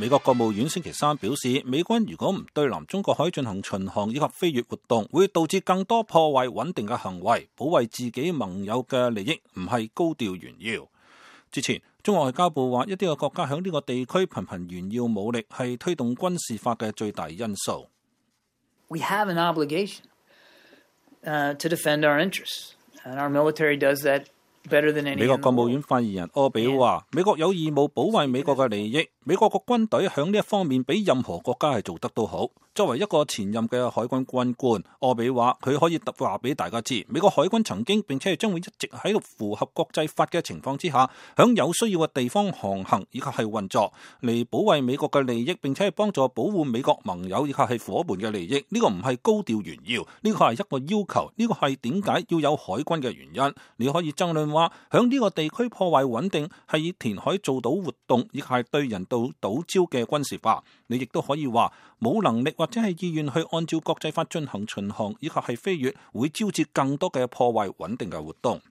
美國國務院星期三表示，美軍如果唔對南中國海進行巡航以及飛越活動，會導致更多破壞穩定嘅行為，保衛自己盟友嘅利益唔係高調炫耀。之前，中國外交部話，一啲嘅國家響呢個地區頻頻炫耀武力，係推動軍事化嘅最大因素。We have an obligation to defend our interests, and our military does that better than any. 美國國務院發言人柯比話，美國有義務保衛美國嘅利益，美國個軍隊響呢一方面比任何國家係做得都好。作為一個前任嘅海軍軍官，柯比話佢可以話俾大家知，美國海軍曾經並且係將會一直喺度符合國際法嘅情況之下，響有需要嘅地方航行以及係運作，嚟保衛美國嘅利益，並且係幫助保護美國盟友以及係夥伴嘅利益。呢個唔係高調炫耀，呢個係一個要求，呢個係點解要有海軍嘅原因。你可以爭論話，響呢個地區破壞穩定係以填海做到活動，亦係對人道島礁嘅軍事化。你亦都可以話冇能力或者係意願去按照國際法進行巡航以及係飛越，會招致更多嘅破壞穩定嘅活動。